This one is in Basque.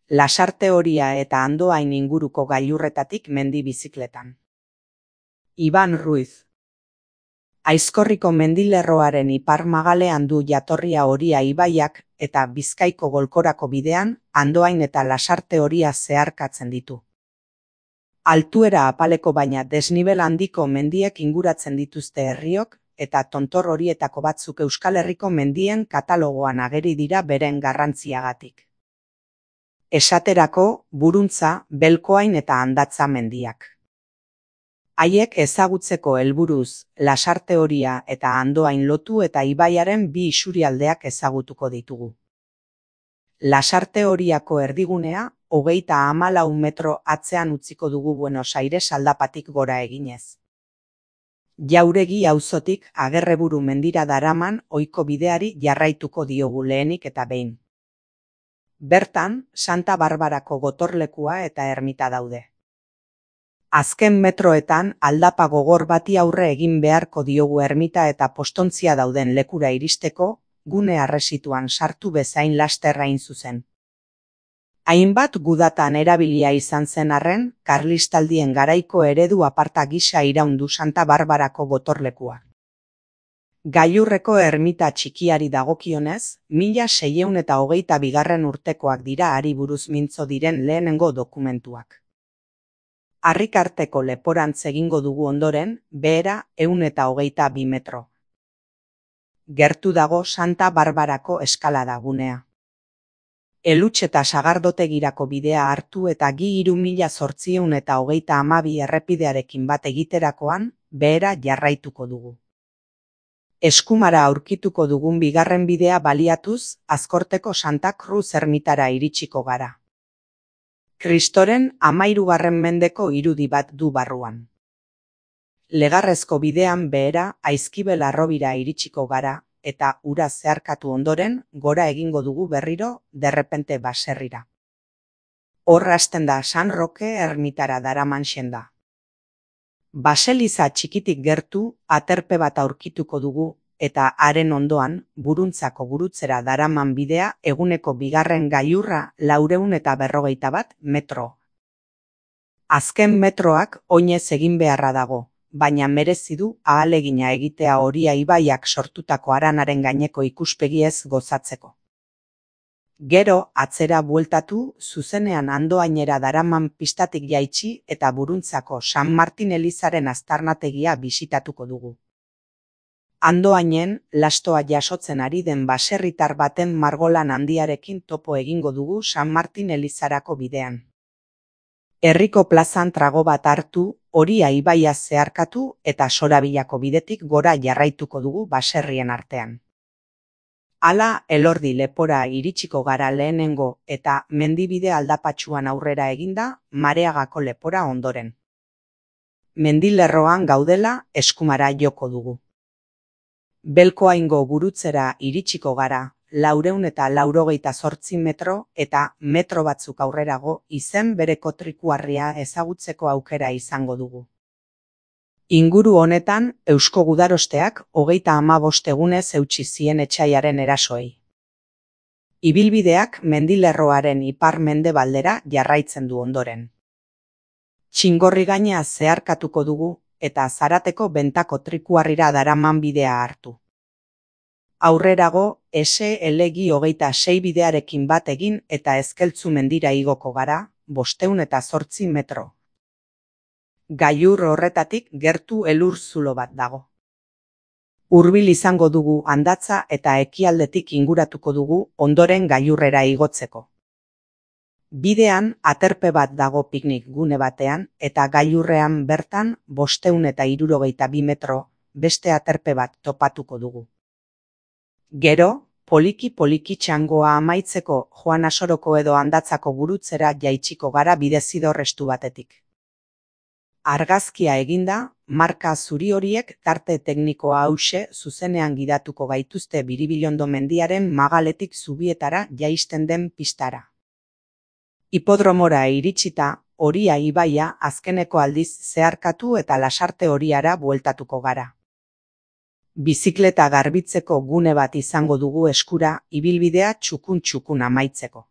Lasarte Horia eta Andoain inguruko gailurretatik mendi bizikletan. Iban Ruiz. Aizkorriko mendilerroaren ipar magalean du jatorria Horia ibaiak eta Bizkaiko golkorako bidean Andoain eta Lasarte Horia zeharkatzen ditu. Altuera apaleko baina desnibel handiko mendiek inguratzen dituzte herriok eta tontor horietako batzuk Euskal Herriko mendien katalogoan ageri dira beren garrantziagatik. Esaterako, Buruntza, Belkoain eta Andatza mendiak. Haiek ezagutzeko helburuz, Lasarte Horia eta Andoain lotu eta ibaiaren bi isurialdeak ezagutuko ditugu. Lasarte Horiako erdigunea, 34 metro atzean utziko dugu Buenos Aires aldapatik gora eginez. Jauregi auzotik Agerreburu mendira daraman ohiko bideari jarraituko diogu lehenik eta behin. Bertan, Santa Barbarako gotorlekua eta ermita daude. Azken metroetan aldapa gogor bati aurre egin beharko diogu ermita eta postontzia dauden lekura iristeko, gune arresituan sartu bezain laster hain zuzen. Hainbat gudatan erabilia izan zen arren, karlistaldien garaiko eredu aparta gisa iraundu Santa Barbarako gotorlekua. Gailurreko ermita txikiari dagokionez, 1622 urtekoak dira hari buruz mintzo diren lehenengo dokumentuak. Harrikarteko leporantz egingo dugu ondoren, behera 122 metro. Gertu dago Santa Barbarako eskalada gunea. Elutx eta Sagardotegirako bidea hartu eta Gi 3832 errepidearekin bat egiterakoan, behera jarraituko dugu. Eskumara aurkituko dugun bigarren bidea baliatuz, Azkorteko Santa Cruz ermitara iritsiko gara. Kristoren 13. mendeko irudi bat du barruan. Legarrezko bidean behera Aizkibel harrobira iritsiko gara, eta ura zeharkatu ondoren, gora egingo dugu berriro, derrepente baserrira. Hor hasten da San Roke ermitara daraman senda. Baseliza txikitik gertu, aterpe bat aurkituko dugu, eta haren ondoan, Buruntzako gurutzera daraman bidea eguneko bigarren gailurra 451 metro. Azken metroak oinez egin beharra dago, baina merezi du ahalegina egitea Horia ibaiak sortutako haranaren gaineko ikuspegiez gozatzeko. Gero, atzera bueltatu, zuzenean Andoainera daraman pistatik jaitsi eta Buruntzako San Martin elizaren aztarnategia bisitatuko dugu. Andoainen, lastoa jasotzen ari den baserritar baten margolan handiarekin topo egingo dugu San Martin elizarako bidean. Herriko plazan trago bat hartu, Horia ibaia zeharkatu eta Sorabillako bidetik gora jarraituko dugu baserrien artean. Hala, Elordi lepora iritsiko gara lehenengo eta mendibide aldapatsuan aurrera eginda, Mareagako lepora ondoren. Mendilerroan gaudela eskumara joko dugu. Belkoaingo gurutzera iritsiko gara, 488 metro eta metro batzuk aurrerago izen bereko trikuarria ezagutzeko aukera izango dugu. Inguru honetan, Eusko Gudarosteak 35 egunez eutsi zien etsaiaren erasoei. Ibilbideak mendilerroaren ipar-mendebaldera jarraitzen du ondoren. Txingorrigaina zeharkatuko dugu eta Zarateko Bentako trikuarrira daraman bidea hartu. Aurrerago, SL-26 bidearekin bat egin eta Ezkeltzu mendira igoko gara, 508 metro. Gailur horretatik gertu elur zulo bat dago. Hurbil izango dugu Andatza eta ekialdetik inguratuko dugu ondoren gailurrera igotzeko. Bidean aterpe bat dago piknik gune batean eta gailurrean bertan 562 metro beste aterpe bat topatuko dugu. Gero, poliki txangoa amaitzeko Joan Asoroko edo Andatzako gurutzera jaitsiko gara bidezidor estu batetik. Argazkia eginda, marka zuri horiek tarte teknikoa hauxe zuzenean gidatuko gaituzte Biribilondo mendiaren magaletik zubietara jaisten den pistara. Hipodromora iritsita, Horia ibaia azkeneko aldiz zeharkatu eta Lasarte Horiara bueltatuko gara. Bizikleta garbitzeko gune bat izango dugu eskura ibilbidea txukun amaitzeko.